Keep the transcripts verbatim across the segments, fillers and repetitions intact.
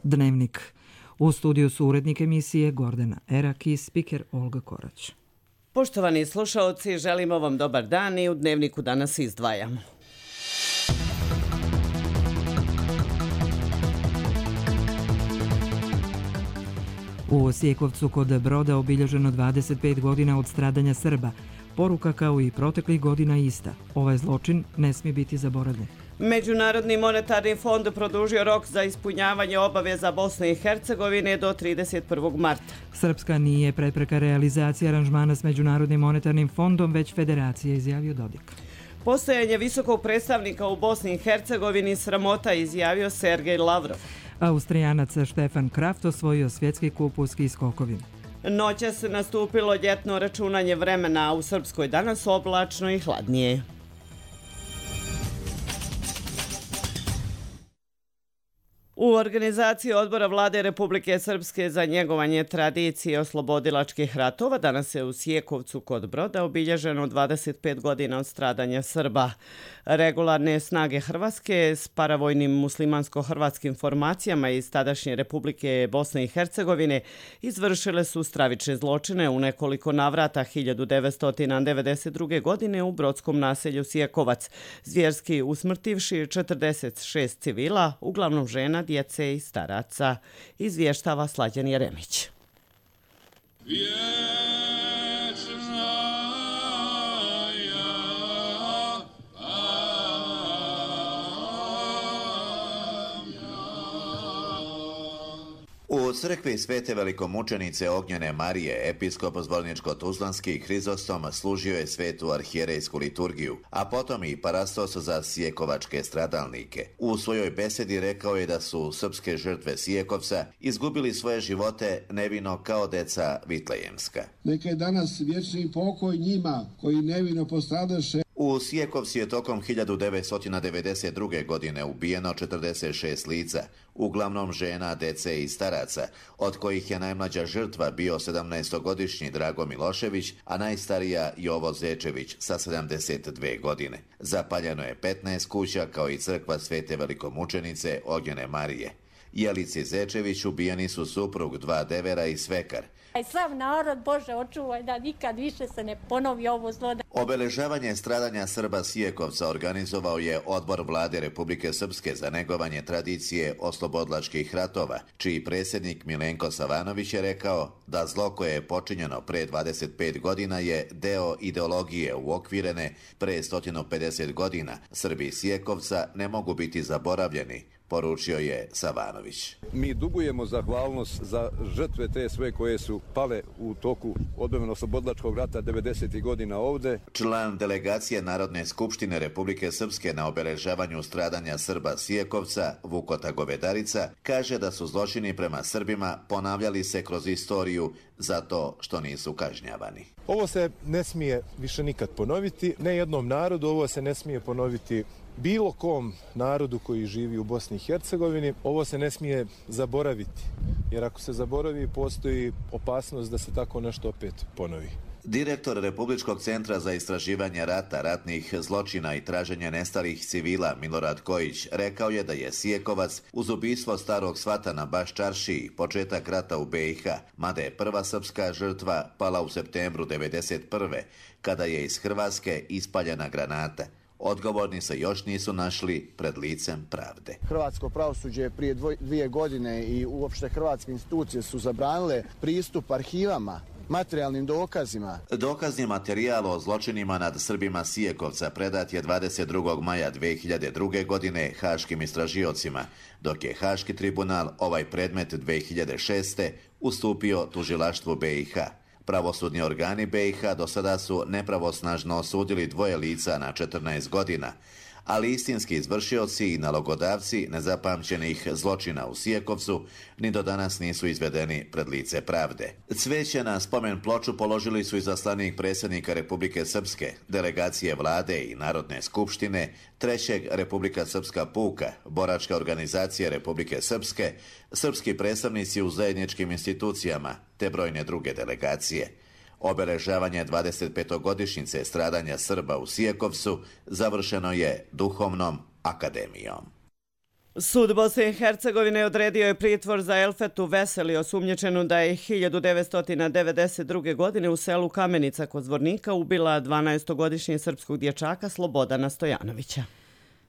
Dnevnik. U studiju su urednik emisije Gordana Erak i spiker Olga Korać. Poštovani slušaoci, želimo vam dobar dan i u Dnevniku danas izdvajamo. U Osijekovcu kod Broda obilježeno dvadeset pet godina od stradanja Srba. Poruka kao i proteklih godina ista. Ovaj zločin ne smije biti zaboravljen. Međunarodni monetarni fond produžio rok za ispunjavanje obaveza Bosne i Hercegovine do trideset prvog marta. Srpska nije prepreka realizacije aranžmana s Međunarodnim monetarnim fondom, već federacija, izjavio Dodik. Postojanje visokog predstavnika u Bosni i Hercegovini sramota, izjavio Sergej Lavrov. Austrijanac Štefan Kraft osvojio svjetski kup u ski skokovima. Noćas nastupilo ljetno računanje vremena, a u Srpskoj danas oblačno i hladnije. U organizaciji Odbora Vlade Republike Srpske za njegovanje tradicije oslobodilačkih ratova danas je u Osijekovcu kod Broda obilježeno dvadeset pet godina od stradanja Srba. Regularne snage Hrvatske s paravojnim muslimansko-hrvatskim formacijama iz tadašnje Republike Bosne i Hercegovine izvršile su stravične zločine u nekoliko navrata hiljadu devetsto devedeset druge. godine u brodskom naselju Osijekovac, zvjerski usmrtivši četrdeset šest civila, uglavnom žena, djece i staraca, izvještava Slađan Jeremić. U crkvi Svete velikomučenice Ognjene Marije, episkop Zvorničko-Tuzlanski Hrizostom služio je svetu arhijerejsku liturgiju, a potom i parastos za sijekovačke stradalnike. U svojoj besedi rekao je da su srpske žrtve Sijekovca izgubili svoje živote nevino kao deca Vitlejemska. Neka je danas vječni pokoj njima koji nevino postradaše. U Sijekovci je tokom hiljadu devetsto devedeset druge. godine ubijeno četrdeset šest lica, uglavnom žena, dece i staraca, od kojih je najmlađa žrtva bio sedamnaestogodišnji Drago Milošević, a najstarija Jovo Zečević sa sedamdeset dve godine. Zapaljeno je petnaest kuća kao i crkva Svete velikomučenice Ognjene Marije. Jelici Zečević ubijeni su suprug, dva devera i svekar. Sav narod, Bože, očuvaj da nikad više se ne ponovi ovo zlo. Obeležavanje stradanja Srba Sijekovca organizovao je Odbor Vlade Republike Srpske za negovanje tradicije oslobodilačkih ratova, čiji predsjednik Milenko Savanović je rekao da zlo koje je počinjeno pre dvadeset pet godina je deo ideologije uokvirene pre sto pedeset godina. Srbi Sijekovca ne mogu biti zaboravljeni, poručio je Savanović. Mi dugujemo zahvalnost za žrtve te sve koje su pale u toku odbrambeno-oslobodilačkog rata devedesetih godina ovde. Član delegacije Narodne skupštine Republike Srpske na obeležavanju stradanja Srba Sijekovca, Vukota Govedarica, kaže da su zločini prema Srbima ponavljali se kroz istoriju zato što nisu kažnjavani. Ovo se ne smije više nikad ponoviti, ne jednom narodu, ovo se ne smije ponoviti bilo kom narodu koji živi u Bosni i Hercegovini. Ovo se ne smije zaboraviti, jer ako se zaboravi, postoji opasnost da se tako nešto opet ponovi. Direktor Republičkog centra za istraživanje rata, ratnih zločina i traženja nestalih civila Milorad Kojić rekao je da je Sijekovac uz ubistvo starog svata na Baščaršiji početak rata u be i ha, mada je prva srpska žrtva pala u septembru devedeset prve. kada je iz Hrvatske ispaljena granata. Odgovorni se još nisu našli pred licem pravde. Hrvatsko pravosuđe prije dvije godine i uopšte hrvatske institucije su zabranile pristup arhivama, materijalnim dokazima. Dokazni materijal o zločinima nad Srbima Sijekovca predat je dvadeset drugog maja dve hiljade druge. godine haškim istražiocima, dok je Haški tribunal ovaj predmet dve hiljade šeste. ustupio tužilaštvu be i ha. Pravosudni organi be i ha do sada su nepravosnažno osudili dvoje lica na četrnaest godina, ali istinski izvršioci i nalogodavci nezapamćenih zločina u Sijekovcu ni do danas nisu izvedeni pred lice pravde. Cveće na spomen ploču položili su izaslanik predsjednika Republike Srpske, delegacije vlade i Narodne skupštine, trećeg Republika Srpska puka, boračka organizacija Republike Srpske, srpski predstavnici u zajedničkim institucijama te brojne druge delegacije. Obeležavanje dvadesetpetogodišnjice stradanja Srba u Sijekovcu završeno je duhovnom akademijom. Sud Bosne i Hercegovine odredio je pritvor za Elfetu Veseli, osumnjičenu da je hiljadu devetsto devedeset druge. godine u selu Kamenica kod Zvornika ubila dvanaestogodišnjeg srpskog dječaka Slobodana Stojanovića.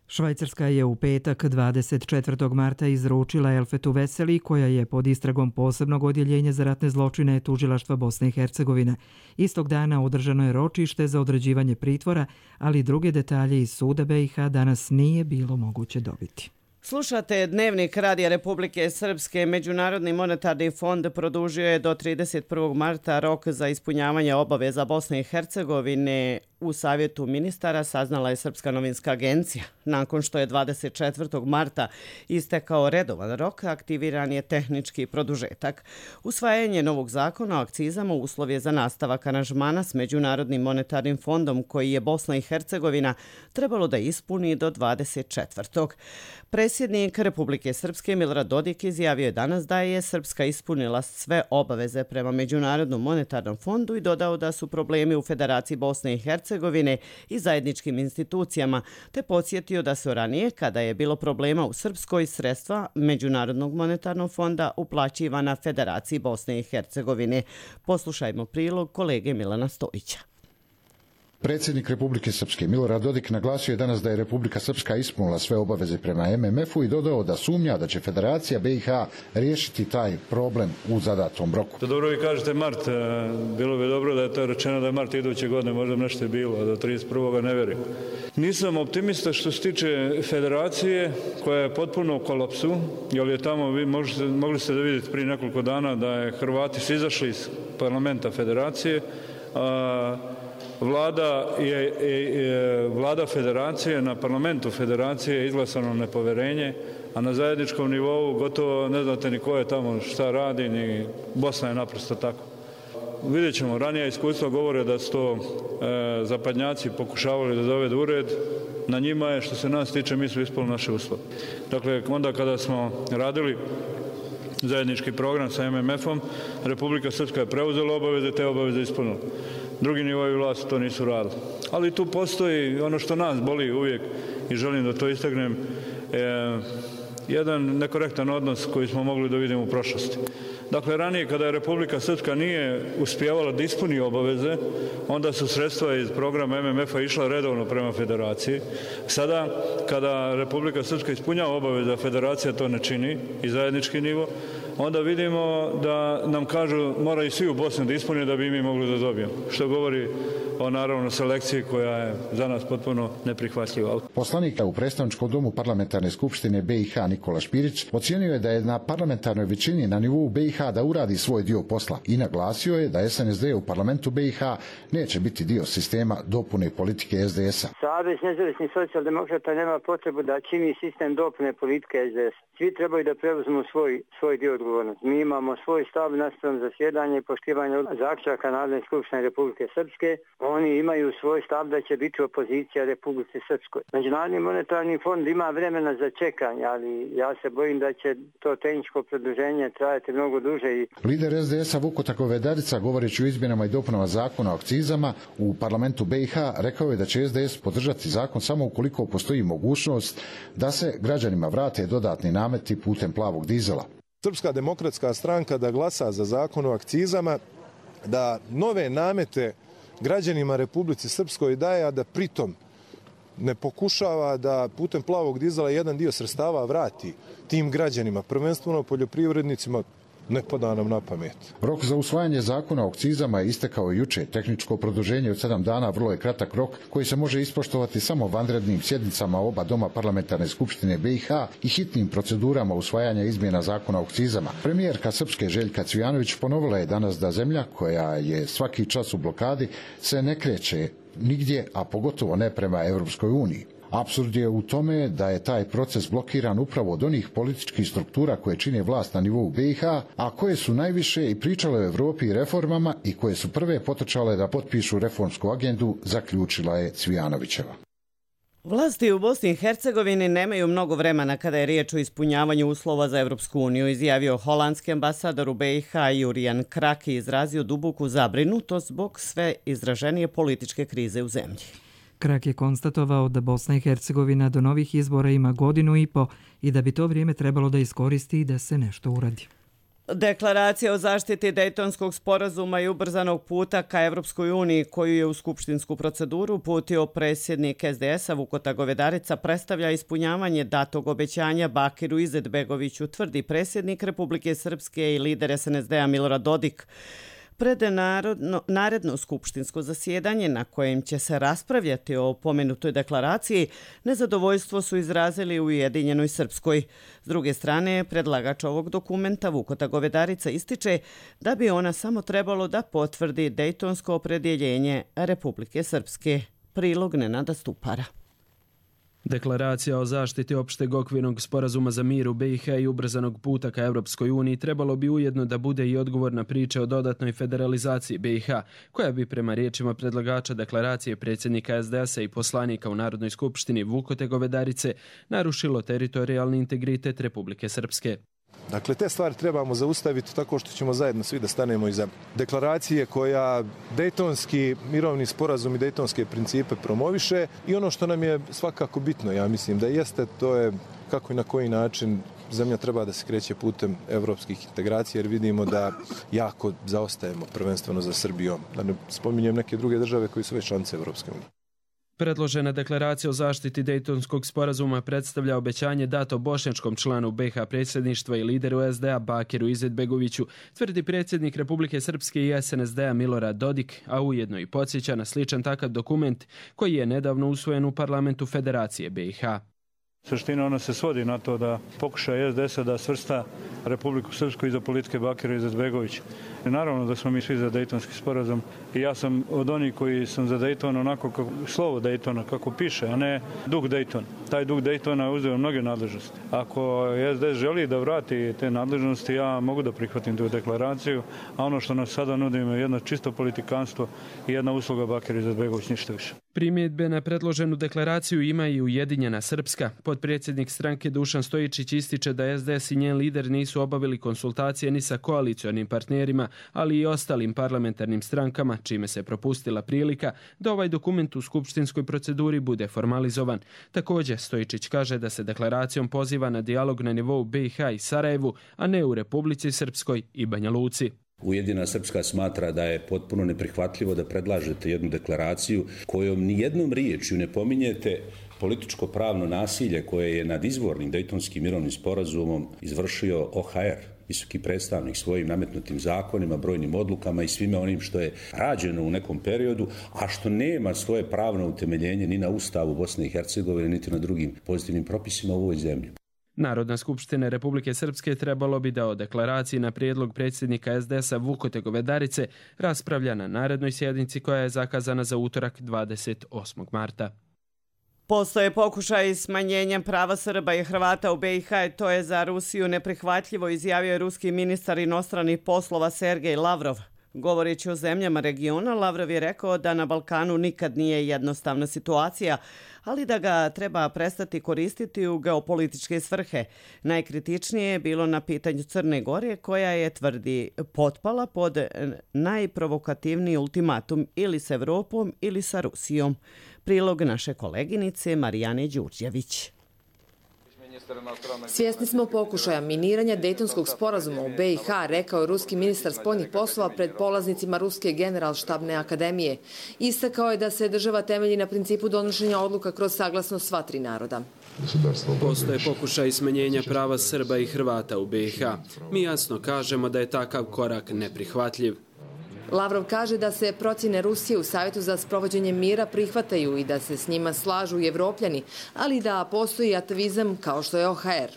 Švajcarska je u petak dvadeset četvrtog marta izručila Elfetu Veseli, koja je pod istragom posebnog odjeljenja za ratne zločine tužilaštva Bosne i Hercegovine. Istog dana održano je ročište za određivanje pritvora, ali druge detalje iz suda B i H danas nije bilo moguće dobiti. Slušate Dnevnik Radija Republike Srpske. Međunarodni monetarni fond produžio je do trideset prvog marta rok za ispunjavanje obaveza Bosne i Hercegovine. U savjetu ministara saznala je Srpska novinska agencija. Nakon što je dvadeset četvrtog marta istekao redovan rok, aktiviran je tehnički produžetak. Usvajanje novog zakona o akcizama uslov je za nastavak aranžmana s Međunarodnim monetarnim fondom koji je Bosna i Hercegovina trebalo da ispuni do dvadeset četvrtog Predsjednik Republike Srpske Milorad Dodik izjavio je danas da je Srpska ispunila sve obaveze prema Međunarodnom monetarnom fondu i dodao da su problemi u Federaciji Bosne i Hercegovine i zajedničkim institucijama, te podsjetio da su ranije, kada je bilo problema u Srpskoj, sredstva Međunarodnog monetarnog fonda uplaćivana Federaciji Bosne i Hercegovine. Poslušajmo prilog kolege Milana Stojića. Predsjednik Republike Srpske Milorad Dodik naglasio je danas da je Republika Srpska ispunila sve obaveze prema M M F-u i dodao da sumnja da će Federacija B i H riješiti taj problem u zadatom roku. To dobro vi kažete mart, bilo bi dobro da je to rečeno da je mart iduće godine, možda nešto je bilo, a do trideset prvog ne vjerujem. Nisam optimista što se tiče Federacije koja je potpuno u kolapsu, jer je tamo, vi možete, mogli ste da vidite prije nekoliko dana da je Hrvati su izašli iz parlamenta Federacije, a Vlada, je, je, vlada Federacije, na parlamentu Federacije je izglasano nepoverenje, a na zajedničkom nivou gotovo ne znate ni ko je tamo šta radi, ni Bosna je naprosto tako. Vidjet ćemo, ranije iskustva govore da su to e, zapadnjaci pokušavali da dovedu u red. Na njima je, što se nas tiče, mi smo ispunili naše uslove. Dakle, onda kada smo radili zajednički program sa M M F-om, Republika Srpska je preuzela obaveze, te obaveze ispunila. Drugi nivoji vlasti to nisu radili. Ali tu postoji ono što nas boli uvijek i želim da to istaknem, e, jedan nekorektan odnos koji smo mogli da vidimo u prošlosti. Dakle, ranije kada je Republika Srpska nije uspijevala da ispuni obaveze, onda su sredstva iz programa M M F-a išla redovno prema Federaciji. Sada, kada Republika Srpska ispunjava obaveze, a Federacija to ne čini i zajednički nivo, onda vidimo da nam kažu moraju svi u Bosni da ispune da bi mi mogli da dobijemo. Što govori o naravno selekciji koja je za nas potpuno neprihvatljiva. Poslanik u predstavničkom domu parlamentarne skupštine B i H Nikola Špirić ocijenio je da je na parlamentarnoj većini na nivou B i H da uradi svoj dio posla i naglasio je da S N S D u parlamentu B i H neće biti dio sistema dopune politike S D S-a. Savez nezavisnih socijaldemokrata nema potrebu da čini sistem dopune politike S D S. Svi trebaju da preuzmu svoj, svoj dio odgovornosti. Mi imamo svoj stav naspram zasjedanja i poštivanja zaključaka Narodne skupštine Republike Srpske. Oni imaju svoj stav da će biti opozicija Republike Srpskoj. Međunarodni monetarni fond ima vremena za čekanje, ali ja se bojim da će to tehničko produženje trajati mnogo duže. I... Lider S D S-a Vuko Takovedarica, govoreći o izmjenama i dopunama zakona o akcizama u parlamentu B i H, rekao je da će S D S podržati zakon samo ukoliko postoji mogućnost da se građanima vrate dodatni nameti putem plavog dizela. Srpska demokratska stranka da glasa za zakon o akcizama, da nove namete građanima Republike Srpskoj daje, a da pritom ne pokušava da putem plavog dizela jedan dio sredstava vrati tim građanima, prvenstveno poljoprivrednicima, ne pada nam na pamet. Rok za usvajanje zakona o akcizama je istekao juče. Tehničko produženje od sedam dana vrlo je kratak rok koji se može ispoštovati samo vanrednim sjednicama oba doma parlamentarne skupštine B i H i hitnim procedurama usvajanja izmjena zakona o akcizama. Premijerka Srpske Željka Cvijanović ponovila je danas da zemlja koja je svaki čas u blokadi se ne kreće nigdje, a pogotovo ne prema Europskoj uniji. Apsurd je u tome da je taj proces blokiran upravo od onih političkih struktura koje čine vlast na nivou B i H, a koje su najviše i pričale o Evropi i reformama i koje su prve potrčale da potpišu reformsku agendu, zaključila je Cvijanovićeva. Vlasti u Bosni i Hercegovini nemaju mnogo vremena kada je riječ o ispunjavanju uslova za Evropsku uniju, izjavio holandski ambasador u B i H Jurijan Krak i izrazio duboku zabrinutost zbog sve izraženije političke krize u zemlji. Krak je konstatovao da Bosna i Hercegovina do novih izbora ima godinu i po i da bi to vrijeme trebalo da iskoristi i da se nešto uradi. Deklaracija o zaštiti Dejtonskog sporazuma i ubrzanog puta ka Evropskoj uniji, koju je u skupštinsku proceduru uputio predsjednik es de es-a Vukota Govedarica, predstavlja ispunjavanje datog obećanja Bakiru Izetbegoviću, tvrdi predsjednik Republike Srpske i lider es en es de-a Milorad Dodik. Pred narodno, naredno skupštinsko zasjedanje na kojem će se raspravljati o pomenutoj deklaraciji, nezadovoljstvo su izrazili u Ujedinjenoj Srpskoj. S druge strane, predlagač ovog dokumenta Vukota Govedarica ističe da bi ona samo trebalo da potvrdi dejtonsko opredjeljenje Republike Srpske. Prilog Nenada Stupara. Deklaracija o zaštiti opšteg okvirnog sporazuma za mir u be i ha i ubrzanog puta ka Evropskoj uniji trebalo bi ujedno da bude i odgovor na priče o dodatnoj federalizaciji be i ha, koja bi prema riječima predlagača deklaracije predsjednika es de es-a i poslanika u Narodnoj skupštini Vukote Govedarice narušilo teritorijalni integritet Republike Srpske. Dakle, te stvari trebamo zaustaviti tako što ćemo zajedno svi da stanemo iza deklaracije koja dejtonski mirovni sporazum i dejtonske principe promoviše i ono što nam je svakako bitno, ja mislim da jeste, to je kako i na koji način zemlja treba da se kreće putem evropskih integracija, jer vidimo da jako zaostajemo prvenstveno za Srbijom. Da ne spominjem neke druge države koji su već članice Evropske unije. Predložena deklaracija o zaštiti Dejtonskog sporazuma predstavlja obećanje dato bošnjačkom članu be i ha predsjedništva i lideru es de a Bakiru Izetbegoviću, tvrdi predsjednik Republike Srpske i es en es de-a Milorad Dodik, a ujedno i podsjeća na sličan takav dokument koji je nedavno usvojen u parlamentu Federacije be i ha. Suština ona se svodi na to da pokuša es de es-a da svrsta Republiku Srpsku iza politike Bakira Izetbegovića. I naravno da smo mi svi za Dejtonski sporazum i ja sam od onih koji sam za Dejton onako kako, slovo Dejtona kako piše, a ne duh Dejtona. Taj duh Dejtona je uzeo mnoge nadležnosti. Ako es de es želi da vrati te nadležnosti, ja mogu da prihvatim tu deklaraciju, a ono što nas sada nudimo je jedno čisto politikanstvo i jedna usluga Bakira Izetbegović, ništa više. Primjedbe na predloženu deklaraciju ima i Ujedinjena Srpska. Potpredsjednik stranke Dušan Stojičić ističe da es de es i njen lider nisu obavili konsultacije ni sa koalicionim partnerima, ali i ostalim parlamentarnim strankama, čime se propustila prilika da ovaj dokument u skupštinskoj proceduri bude formalizovan. Također, Stojičić kaže da se deklaracijom poziva na dijalog na nivou be i ha i Sarajevu, a ne u Republici Srpskoj i Banja Luci. Ujedinjena Srpska smatra da je potpuno neprihvatljivo da predlažete jednu deklaraciju kojom ni jednom riječju ne pominjete političko-pravno nasilje koje je nad izvornim Dejtonskim mirovnim sporazumom izvršio o ha er, visoki predstavnik, svojim nametnutim zakonima, brojnim odlukama i svime onim što je rađeno u nekom periodu, a što nema svoje pravno utemeljenje ni na Ustavu Bosne i Hercegovine, niti na drugim pozitivnim propisima u ovoj zemlji. Narodna skupština Republike Srpske trebalo bi da o deklaraciji na prijedlog predsjednika es de es-a Vukote Govedarice raspravlja na narednoj sjednici koja je zakazana za utorak dvadeset osmog marta. Postoje pokušaj smanjenja prava Srba i Hrvata u be i ha, to je za Rusiju neprihvatljivo, izjavio je ruski ministar inostranih poslova Sergej Lavrov. Govoreći o zemljama regiona, Lavrov je rekao da na Balkanu nikad nije jednostavna situacija, ali da ga treba prestati koristiti u geopolitičke svrhe. Najkritičnije je bilo na pitanju Crne Gore, koja je, tvrdi, potpala pod najprovokativniji ultimatum ili s Evropom ili sa Rusijom. Prilog naše koleginice Marijane Đurđević. Svjesni smo pokušaja miniranja Dejtonskog sporazuma u be i ha, rekao je ruski ministar spoljnih poslova pred polaznicima Ruske generalštabne akademije. Istakao je da se država temelji na principu donošenja odluka kroz saglasnost sva tri naroda. Postoje pokušaj smanjenja prava Srba i Hrvata u be i ha. Mi jasno kažemo da je takav korak neprihvatljiv. Lavrov kaže da se procjene Rusije u Savjetu za sprovođenje mira prihvataju i da se s njima slažu i Evropljani, ali da postoji atavizam kao što je o ha er.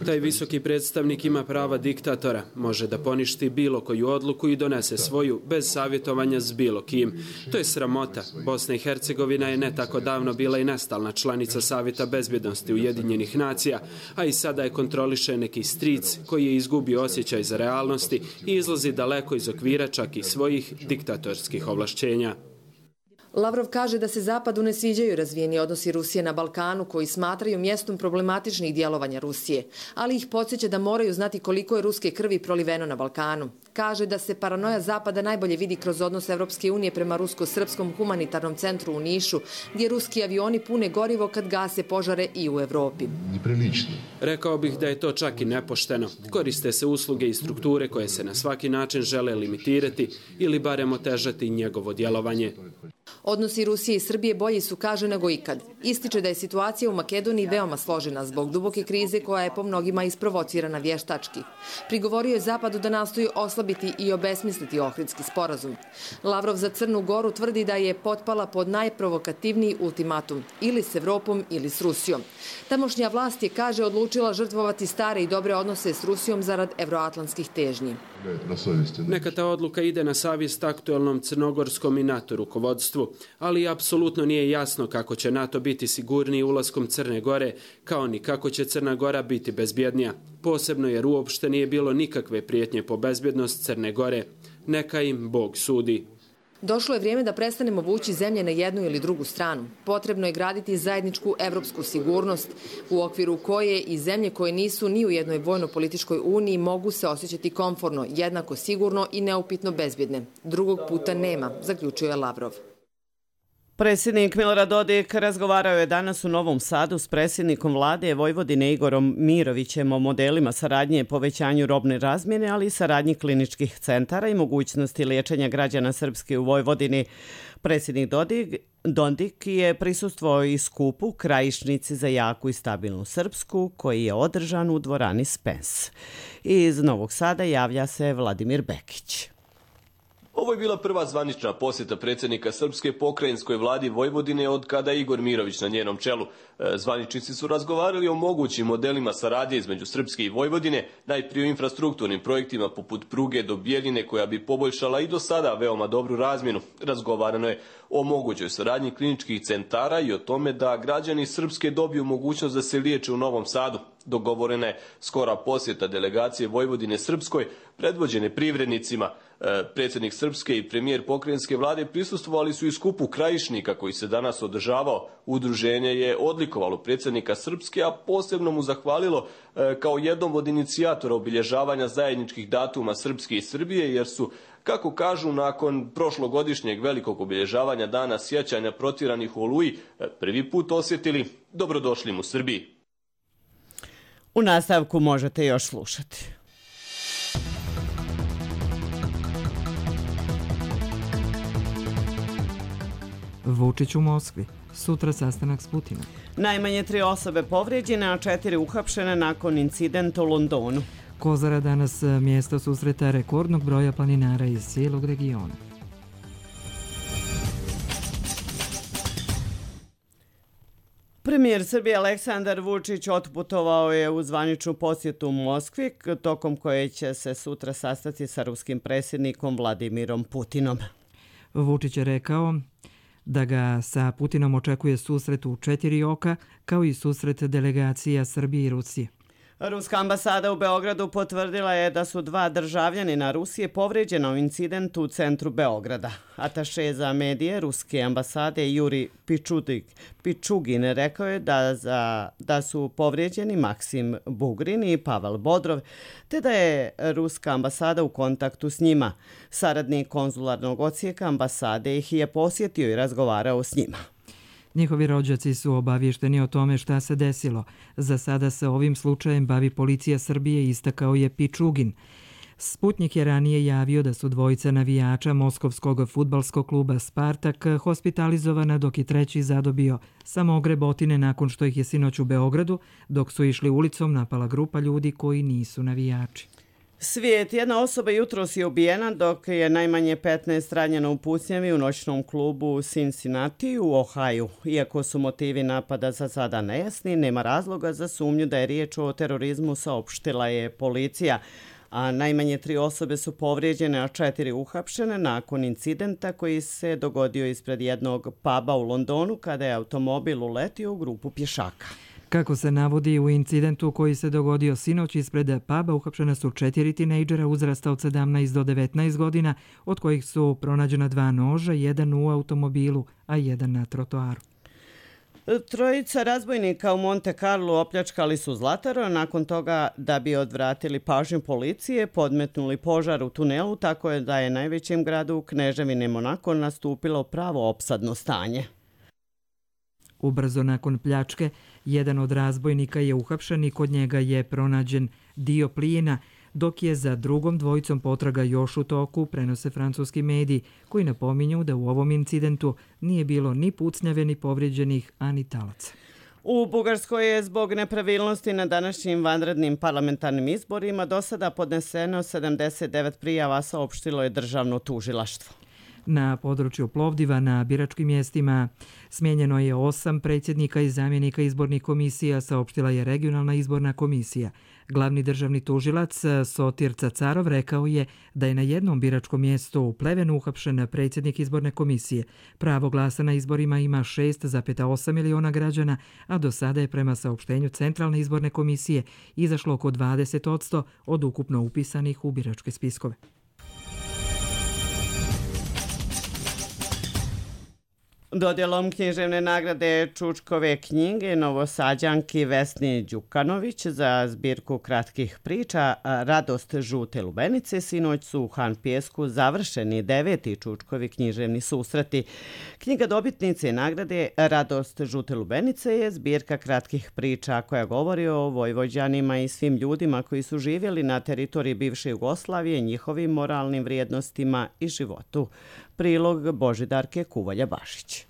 Taj visoki predstavnik ima prava diktatora. Može da poništi bilo koju odluku i donese svoju, bez savjetovanja s bilo kim. To je sramota. Bosna i Hercegovina je ne tako davno bila i nestalna članica Savjeta bezbjednosti Ujedinjenih nacija, a i sada je kontroliše neki stric koji je izgubio osjećaj za realnosti i izlazi daleko iz okvira čak i svojih diktatorskih ovlašćenja. Lavrov kaže da se Zapadu ne sviđaju razvijeni odnosi Rusije na Balkanu, koji smatraju mjestom problematičnih djelovanja Rusije, ali ih podsjeća da moraju znati koliko je ruske krvi proliveno na Balkanu. Kaže da se paranoja Zapada najbolje vidi kroz odnos Evropske unije prema rusko-srpskom humanitarnom centru u Nišu, gdje ruski avioni pune gorivo kad gase požare i u Evropi. Rekao bih da je to čak i nepošteno. Koriste se usluge i strukture koje se na svaki način žele limitirati ili barem otežati njegovo djelovanje. Odnosi Rusije i Srbije bolji su, kaže, nego ikad. Ističe da je situacija u Makedoniji veoma složena zbog duboke krize koja je po mnogima isprovocirana vještački. Prigovorio je Zapadu da nastoji oslabiti i obesmisliti Ohridski sporazum. Lavrov za Crnu Goru tvrdi da je potpala pod najprovokativniji ultimatum, ili s Evropom ili s Rusijom. Tamošnja vlast je, kaže, odlučila žrtvovati stare i dobre odnose s Rusijom zarad evroatlantskih težnji. Neka ta odluka ide na savjest aktualnom crnogorskom i NATO rukovodstvu, ali apsolutno nije jasno kako će NATO biti sigurniji ulaskom Crne Gore, kao ni kako će Crna Gora biti bezbjednija. Posebno jer uopšte nije bilo nikakve prijetnje po bezbjednost Crne Gore. Neka im Bog sudi. Došlo je vrijeme da prestanemo vući zemlje na jednu ili drugu stranu. Potrebno je graditi zajedničku evropsku sigurnost, u okviru koje i zemlje koje nisu ni u jednoj vojno-političkoj uniji mogu se osjećati komforno, jednako sigurno i neupitno bezbjedne. Drugog puta nema, zaključuje Lavrov. Predsjednik Milorad Dodik razgovarao je danas u Novom Sadu s predsjednikom vlade Vojvodine Igorom Mirovićem o modelima saradnje, povećanju robne razmjene, ali i saradnji kliničkih centara i mogućnosti liječenja građana Srpske u Vojvodini. Predsjednik Dodik, Dodik je prisustvovao i skupu Krajišnici za jaku i stabilnu Srpsku, koji je održan u dvorani Spens. Iz Novog Sada javlja se Vladimir Bekić. Ovo je bila prva zvanična posjeta predsjednika Srpske pokrajinskoj vladi Vojvodine od kada je Igor Mirović na njenom čelu. Zvaničnici su razgovarali o mogućim modelima saradnje između Srpske i Vojvodine, najprije o infrastrukturnim projektima poput pruge do Bijeljine koja bi poboljšala i do sada veoma dobru razmjenu. Razgovarano je o mogućoj saradnji kliničkih centara i o tome da građani Srpske dobiju mogućnost da se liječe u Novom Sadu. Dogovorena je skora posjeta delegacije Vojvodine Srpskoj, predvođene privrednicima. Predsjednik Srpske i premijer pokrajinske vlade prisustvovali su i skupu Krajišnika koji se danas održavao. Udruženje je odlikovalo predsjednika Srpske, a posebno mu zahvalilo kao jednom od inicijatora obilježavanja zajedničkih datuma Srpske i Srbije, jer su, kako kažu, nakon prošlogodišnjeg velikog obilježavanja dana sjećanja protjeranih u Oluji, prvi put osjetili dobrodošlim u Srbiji. U nastavku možete još slušati. Vučić u Moskvi. Sutra sastanak s Putinom. Najmanje tri osobe povrijeđene, a četiri uhapšene nakon incidenta u Londonu. Kozara danas mjesto susreta rekordnog broja planinara iz cijelog regiona. Premijer Srbije Aleksandar Vučić otputovao je u zvaničnu posjetu u Moskvi, tokom koje će se sutra sastati sa ruskim predsjednikom Vladimirom Putinom. Vučić je rekao da ga sa Putinom očekuje susret u četiri oka, kao i susret delegacija Srbije i Rusije. Ruska ambasada u Beogradu potvrdila je da su dva državljanina Rusije povrijeđena u incidentu u centru Beograda. Ataše za medije Ruske ambasade Juri Pičudik, Pičugin rekao je da, za, da su povrijeđeni Maksim Bugrin i Pavel Bodrov, te da je Ruska ambasada u kontaktu s njima. Saradnik konzularnog odsjeka ambasade ih je posjetio i razgovarao s njima. Njihovi rođaci su obavješteni o tome šta se desilo. Za sada se ovim slučajem bavi policija Srbije, istakao je Pičugin. Sputnik je ranije javio da su dvojica navijača moskovskog fudbalskog kluba Spartak hospitalizovana, dok je treći zadobio samo grebotine nakon što ih je sinoć u Beogradu, dok su išli ulicom, napala grupa ljudi koji nisu navijači. Svijet. Jedna osoba jutros je ubijena, dok je najmanje petnaest ranjeno u pucnjavi u noćnom klubu u Cincinnati u Ohaju. Iako su motivi napada za sada nejasni, nema razloga za sumnju da je riječ o terorizmu, saopštila je policija. A najmanje tri osobe su povrijeđene, a četiri uhapšene nakon incidenta koji se dogodio ispred jednog puba u Londonu kada je automobil uletio u grupu pješaka. Kako se navodi u incidentu koji se dogodio sinoć ispred puba, uhapšena su četiri tinejdžera uzrasta od sedamnaest do devetnaest godina, od kojih su pronađena dva noža, jedan u automobilu, a jedan na trotoaru. Trojica razbojnika u Monte Carlo opljačkali su Zlataru, nakon toga da bi odvratili pažnju policije, podmetnuli požar u tunelu, tako je da je najvećem gradu u Kneževini Monako nastupilo pravo opsadno stanje. Ubrzo nakon pljačke, jedan od razbojnika je uhapšen i kod njega je pronađen dio plijena, dok je za drugom dvojicom potraga još u toku, prenose francuski mediji, koji napominju da u ovom incidentu nije bilo ni pucnjave, ni povrijeđenih, a ni talaca. U Bugarskoj je zbog nepravilnosti na današnjim vanrednim parlamentarnim izborima do sada podneseno sedamdeset devet prijava, saopštilo je državno tužilaštvo. Na području Plovdiva na biračkim mjestima smijenjeno je osam predsjednika i zamjenika izbornih komisija, saopštila je regionalna izborna komisija. Glavni državni tužilac Sotir Cacarov rekao je da je na jednom biračkom mjestu u Plevenu uhapšen predsjednik izborne komisije. Pravo glasa na izborima ima šest zarez osam miliona građana, a do sada je prema saopštenju Centralne izborne komisije izašlo oko dvadeset posto od ukupno upisanih u biračke spiskove. Dodjelom književne nagrade Čučkove knjige Novosađanki Vesni Đukanović za zbirku kratkih priča Radost žute lubenice sinoć su u Han Pijesku završeni deveti Čučkovi književni susreti. Knjiga dobitnice nagrade Radost žute lubenice je zbirka kratkih priča koja govori o Vojvođanima i svim ljudima koji su živjeli na teritoriji bivše Jugoslavije, njihovim moralnim vrijednostima i životu. Prilog Božidarke Kuvalja-Bašić.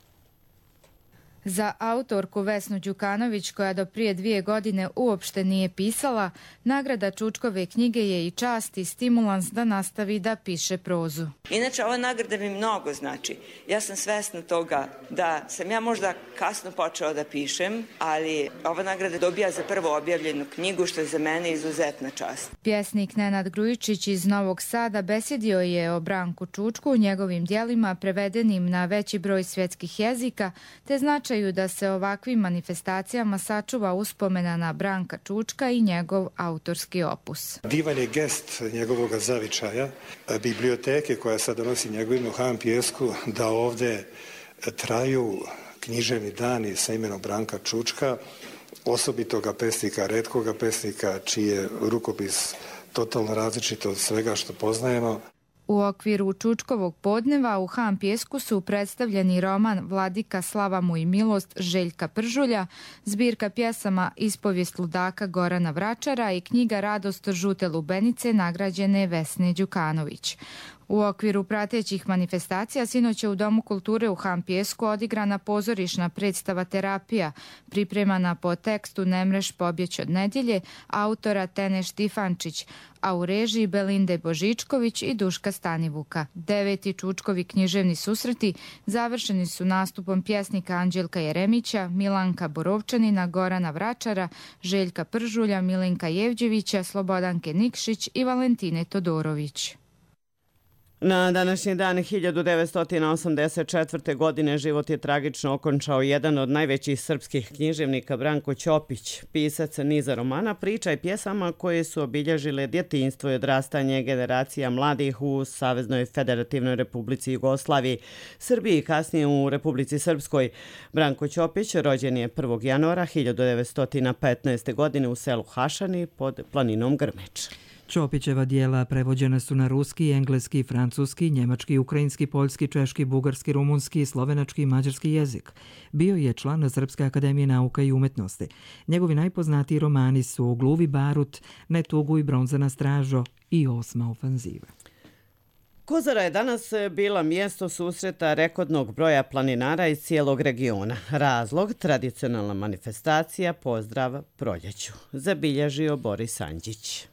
Za autorku Vesnu Đukanović, koja do prije dvije godine uopšte nije pisala, nagrada Čučkove knjige je i čast i stimulans da nastavi da piše prozu. Inače, ova nagrada mi mnogo znači. Ja sam svesna toga da sam ja možda kasno počela da pišem, ali ova nagrada dobija za prvo objavljenu knjigu, što je za mene izuzetna čast. Pjesnik Nenad Grujičić iz Novog Sada besjedio je o Branku Čučku, njegovim djelima prevedenim na veći broj svjetskih jezika, te značaj da se ovakvim manifestacijama sačuva uspomena na Branka Čučka i njegov autorski opus. Divan je gest njegovog zavičaja, biblioteke koja sad donosi njegovim u Han Pijesku, da ovde traju književni dani sa imenom Branka Čučka, osobitoga pesnika, retkoga pesnika, čiji je rukopis totalno različit od svega što poznajemo. U okviru Čučkovog podneva u Han Pijesku su predstavljeni roman Vladika slava mu i milost Željka Pržulja, zbirka pjesama Ispovijest ludaka Gorana Vračara i knjiga Radost žute lubenice nagrađene Vesne Đukanović. U okviru pratećih manifestacija sinoć je u Domu kulture u Han Pijesku odigrana pozorišna predstava Terapija, pripremana po tekstu Ne mreš pobjeć od nedjelje, autora Tene Štifančić, a u režiji Belinde Božičković i Duška Stanivuka. Deveti Čučkovi književni susreti završeni su nastupom pjesnika Anđelka Jeremića, Milanka Borovčanina, Gorana Vračara, Željka Pržulja, Milenka Jevđevića, Slobodanke Nikšić i Valentine Todorović. Na današnji dan hiljadu devetsto osamdeset četvrte. godine život je tragično okončao jedan od najvećih srpskih književnika Branko Ćopić, pisac niza romana, priča i pjesama koje su obilježile djetinjstvo i odrastanje generacija mladih u Saveznoj Federativnoj Republici Jugoslaviji, Srbiji i kasnije u Republici Srpskoj. Branko Ćopić rođen je prvog januara hiljadu devetsto petnaeste. godine u selu Hašani pod planinom Grmeč. Ćopićeva dijela prevođena su na ruski, engleski, francuski, njemački, ukrajinski, poljski, češki, bugarski, rumunski, slovenački i mađarski jezik. Bio je član Srpske akademije nauka i umetnosti. Njegovi najpoznatiji romani su Gluvi barut, Netugu i Bronzana stražo i Osma ofanziva. Kozara je danas bila mjesto susreta rekordnog broja planinara iz cijelog regiona. Razlog, tradicionalna manifestacija Pozdrav proljeću, zabilježio Boris Anđić.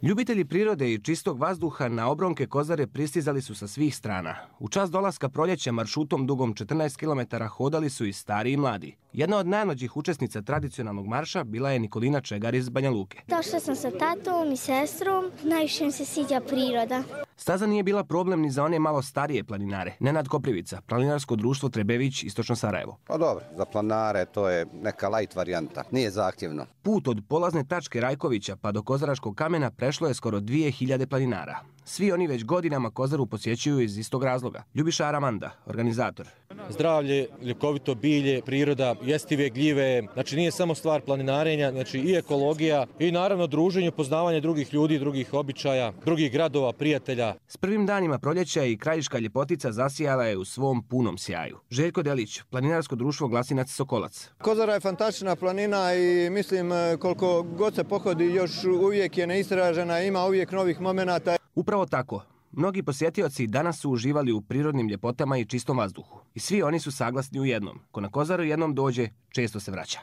Ljubitelji prirode i čistog vazduha na obronke Kozare pristizali su sa svih strana. U čas dolaska proljeća maršrutom dugom četrnaest kilometara hodali su i stari i mladi. Jedna od najmlađih učesnica tradicionalnog marša bila je Nikolina Čegar iz Banja Luke. Došla sam sa tatom i sestrom, najviše mi se sviđa priroda. Staza nije bila problem ni za one malo starije planinare. Nenad Koprivica, planinarsko društvo Trebević, Istočno Sarajevo. Pa dobro, za planinare to je neka light varijanta, nije zahtjevno. Put od polazne tačke Rajkovića pa do Kozaračkog kamena prešlo je skoro dvije hiljade planinara. Svi oni već godinama Kozaru posjećuju iz istog razloga. Ljubiša Aramanda, organizator. Zdravlje, ljekovito bilje, priroda, jestive gljive, znači nije samo stvar planinarenja, znači i ekologija i naravno druženje, poznavanje drugih ljudi, drugih običaja, drugih gradova, prijatelja. S prvim danima proljeća i krajiška ljepotica zasijala je u svom punom sjaju. Željko Delić, planinarsko društvo Glasinac Sokolac. Kozara je fantastična planina i mislim koliko god se pohodi još uvijek je neistražena, ima uvijek novih momenata. Upravo tako. Mnogi posjetioci danas su uživali u prirodnim ljepotama i čistom vazduhu. I svi oni su saglasni u jednom. Ko na Kozaru jednom dođe, često se vraća.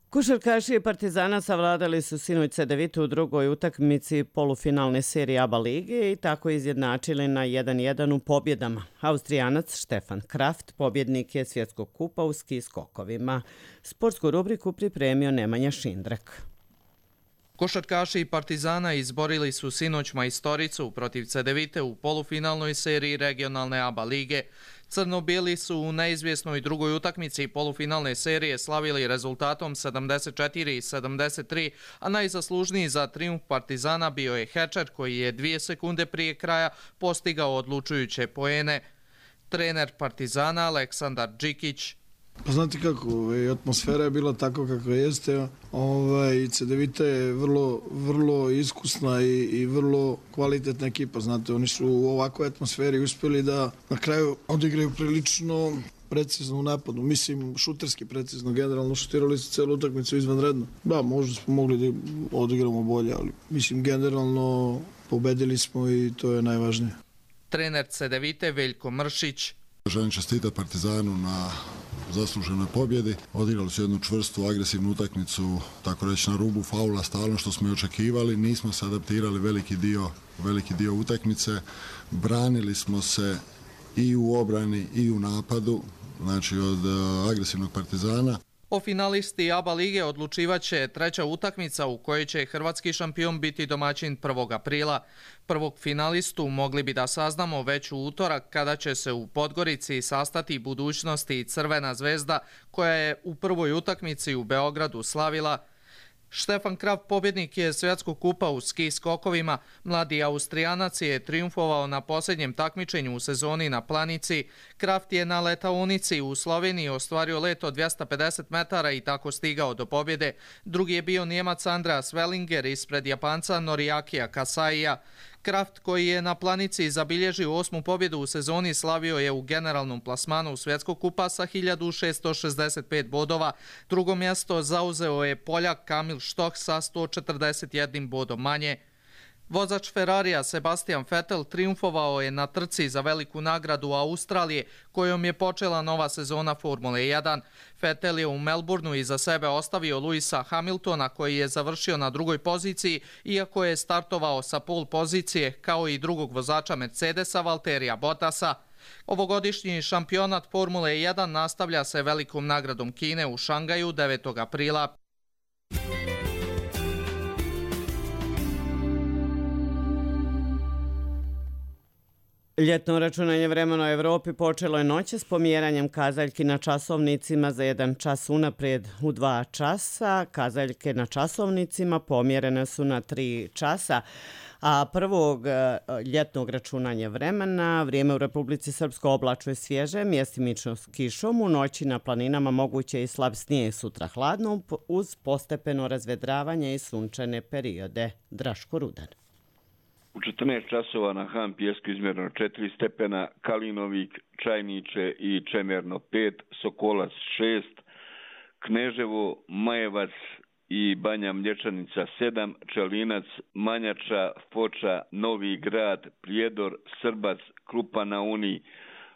Košarkaši Partizana savladali su sinoć Cedevitu u drugoj utakmici polufinalne serije ABA lige i tako izjednačili na jedan jedan u pobjedama. Austrijanac Štefan Kraft pobjednik je svjetskog kupa u ski skokovima. Sportsku rubriku pripremio Nemanja Šindrak. Košarkaši Partizana izborili su sinoć majstoricu protiv Cedevite u polufinalnoj seriji regionalne ABA lige. Crno-bijeli su u neizvjesnoj drugoj utakmici polufinalne serije slavili rezultatom sedamdeset četiri sedamdeset tri, a najzaslužniji za trijumf Partizana bio je Hečer koji je dvije sekunde prije kraja postigao odlučujuće poene. Trener Partizana Aleksandar Džikić. Pa znate kako, ovaj, atmosfera je bila tako kako jeste. Ovaj, Cedevita je vrlo, vrlo iskusna i, i vrlo kvalitetna ekipa. Znate, oni su u ovakvoj atmosferi uspjeli da na kraju odigraju prilično precizno u napadu. Mislim, šuterski precizno, generalno šutirali su celu utakmicu izvanredno. Da, možda smo mogli da odigramo bolje, ali mislim, generalno pobedili smo i to je najvažnije. Trener Cedevite Veljko Mršić. Želim čestitati Partizanu na zasluženoj pobjedi. Odigrali su jednu čvrstu, agresivnu utakmicu, tako reći na rubu faula, stalno što smo i očekivali. Nismo se adaptirali veliki dio, veliki dio utakmice. Branili smo se i u obrani i u napadu, znači od agresivnog Partizana. O finalisti ABA lige odlučivaće treća utakmica u kojoj će hrvatski šampion biti domaćin prvog aprila. Prvog finalistu mogli bi da saznamo već u utorak kada će se u Podgorici sastati budućnosti Crvena zvezda koja je u prvoj utakmici u Beogradu slavila. Štefan Kraft pobjednik je svjetskog kupa u ski skokovima. Mladi Austrijanac je triumfovao na posljednjem takmičenju u sezoni na planici. Kraft je na letaonici u Sloveniji ostvario let od dvjesto pedeset metara i tako stigao do pobjede. Drugi je bio Njemac Andreas Wellinger ispred Japanca Noriakija Kasaija. Kraft koji je na planici zabilježio osmu pobjedu u sezoni slavio je u generalnom plasmanu svjetskog kupa sa hiljadu šesto šezdeset pet bodova. Drugo mjesto zauzeo je Poljak Kamil Štoh sa sto četrdeset jednim bodom manje. Vozač Ferrarija Sebastian Vettel triumfovao je na trci za veliku nagradu Australije kojom je počela nova sezona Formule jedan. Vettel je u Melbourneu iza sebe ostavio Luisa Hamiltona koji je završio na drugoj poziciji iako je startovao sa pol pozicije kao i drugog vozača Mercedesa Valterija Bottasa. Ovogodišnji šampionat Formule jedan nastavlja se velikom nagradom Kine u Šangaju devetog aprila. Ljetno računanje vremena u Evropi počelo je noće s pomjeranjem kazaljki na časovnicima za jedan čas unaprijed u dva časa. Kazaljke na časovnicima pomjerene su na tri časa. A prvog ljetnog računanja vremena vrijeme u Republici Srpskoj oblačno je svježe, mjestimično s kišom. U noći na planinama moguće i slab snijeg, sutra hladno uz postepeno razvedravanje i sunčane periode. Draško Rudan. U četrnaest časova na Han Pijesku izmjereno četiri stepena, Kalinovik, Čajniče i Čemerno pet, Sokolac šest, Kneževo, Majevac i Banja Mlječanica sedam, Čelinac, Manjača, Foča, Novi Grad, Prijedor, Srbac, Krupa na Uni,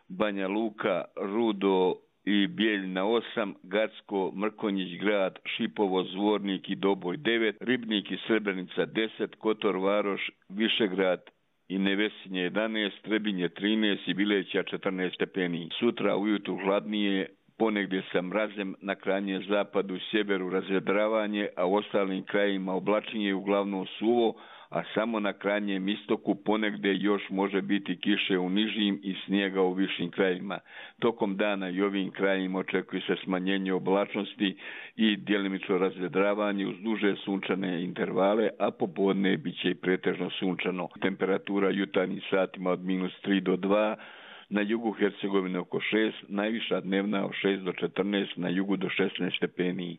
Banja Luka, Rudo i Bijeljina osam, Gacko, Mrkonjić grad, Šipovo, Zvornik i Doboj devet, Ribnik i Srebrenica deset, Kotor Varoš, Višegrad i Nevesinje jedanaest, Trebinje trinaest i Bileća četrnaest stepeni. Sutra ujutru hladnije, ponegdje sa mrazem, na krajnjem zapadu i sjeveru razvedravanje, a u ostalim krajima oblačenje uglavnom suvo, a samo na krajnjem istoku ponegdje još može biti kiše u nižim i snijega u višim krajima. Tokom dana i ovim krajima očekuje se smanjenje oblačnosti i djelimično razvedravanje uz duže sunčane intervale, a popodne bit će i pretežno sunčano. Temperatura jutarnjim satima od minus tri do dva, na jugu Hercegovine oko šest, najviša dnevna od šest do četrnaest, na jugu do šesnaest stepeni.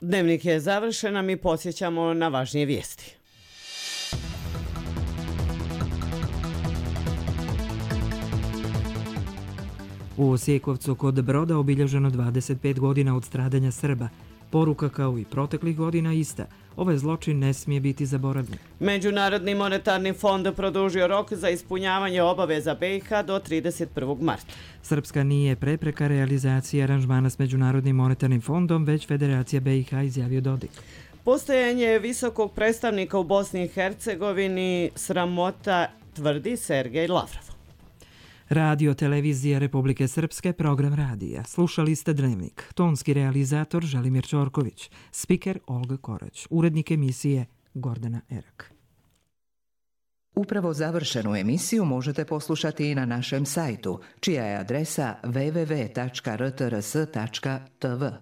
Dnevnik je završen, a mi podsjećamo na važnije vijesti. U Osjekovcu kod Broda obilježeno dvadeset pet godina od stradanja Srba. Poruka kao i proteklih godina ista. Ovaj zločin ne smije biti zaboravljen. Međunarodni monetarni fond produžio rok za ispunjavanje obaveza B i H do trideset prvog marta. Srpska nije prepreka realizacije aranžmana s Međunarodnim monetarnim fondom, već Federacija B i H, izjavio Dodik. Postojanje visokog predstavnika u Bosni i Hercegovini sramota, tvrdi Sergej Lavrov. Radio Televizija Republike Srpske, program radija. Slušali ste Dnevnik. Tonski realizator Želimir Ćorković. Spiker Olga Korać. Urednik emisije Gordana Erak. Upravo završenu emisiju možete poslušati i na našem sajtu, čija je adresa w w w tačka r t r s tačka t v.